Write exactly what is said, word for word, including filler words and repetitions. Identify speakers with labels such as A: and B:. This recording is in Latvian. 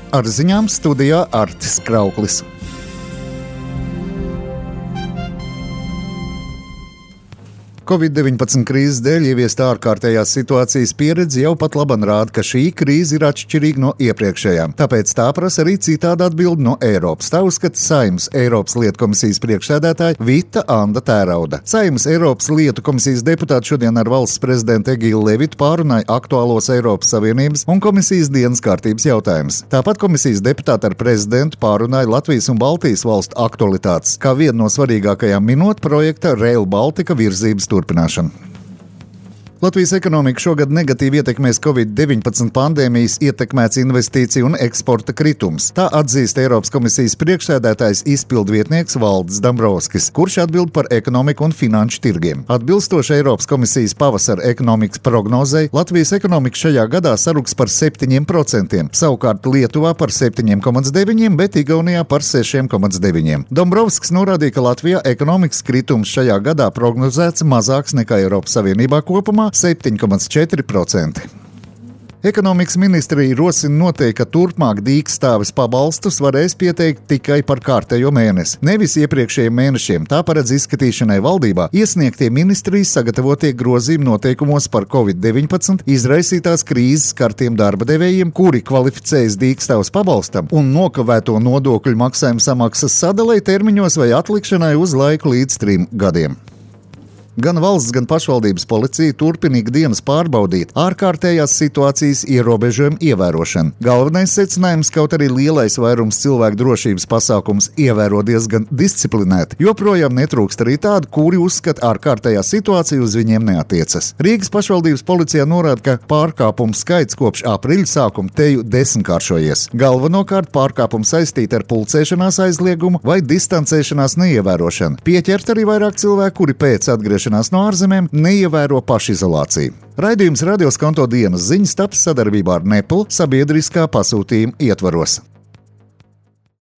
A: Ar ziņām studijā Artis Krauklis. covid deviņpadsmit krīzes dēļ ieviesta ārkārtējās situācijas pieredze jau pat laban rāda, ka šī krīze ir atšķirīga no iepriekšējām. Tāpēc tā prasa arī citādu atbildi no Eiropas. Tā uzskata Saeimas Eiropas lietu komisijas priekšsēdētāja Vita Anda Tērauda. Saeimas Eiropas lietu komisijas deputāti šodien ar valsts prezidentu Egilu Levitu pārunāja aktuālos Eiropas Savienības un komisijas dienas kārtības jautājumus. Tāpat komisijas deputāti ar prezidentu pārunāja Latvijas un Baltijas valstu aktualitātes, kā vienu no svarīgākajām minot projekta Rail Baltica virzības turpināšanu. Latvijas ekonomika šogad negatīvi ietekmēs covid deviņpadsmit pandēmijas ietekmēts investīciju un eksporta kritums. Tā atzīst Eiropas komisijas priekšsēdētājs izpildvietnieks Valdis Dombrovskis, kurš atbild par ekonomiku un finanšu tirgiem. Atbilstoši Eiropas komisijas pavasara ekonomikas prognozei, Latvijas ekonomika šajā gadā saruks par septiņiem procentiem, savukārt Lietuvā par septiņiem komats deviņiem, bet Igaunijā par sešiem komats deviņiem. Dombrovskis norādīja, ka Latvijā ekonomikas kritums šajā gadā prognozēts mazāks nekā Eiropas Savienībā kopumā, septiņi komats četri procenti. Ekonomikas ministrija rosina noteikt, ka turpmāk dīkstāves pabalstus varēs pieteikt tikai par kārtējo mēnesi, nevis iepriekšējiem mēnešiem. Tā paredz izskatīšanai valdībā iesniegtie ministrijas sagatavotie grozījumi noteikumos par covid deviņpadsmit izraisītās krīzes skartiem darba devējiem, kuri kvalificējas dīkstāves pabalstam un nokavēto nodokļu maksājumu samaksas sadalei termiņos vai atlikšanai uz laiku līdz trim gadiem. Gan valsts, gan pašvaldības policija turpina ikdienas pārbaudīt ārkārtējās situācijas ierobežojumu ievērošanu. Galvenais secinājums, kaut arī lielais vairums cilvēku drošības pasākums ievēro diezgan disciplinēti, joprojām netrūkst arī tādu, kuri uzskata ārkārtējā situācija uz viņiem neatiecas. Rīgas pašvaldības policijā norāda, ka pārkāpumu skaits kopš aprīļa sākuma teju desmitkāršojies. Galvenokārt pārkāpumu saistīti ar pulcēšanās aizliegumu vai distancēšanās neievērošanu. Pieķert arī vairāk cilvēku, kuri pēc atgriešanās no ārzemēm neievēro pašizolāciju. Raidījums Radio Skanto dienas ziņas taps sadarbībā ar Nepal sabiedriskā pasūtījuma ietvaros.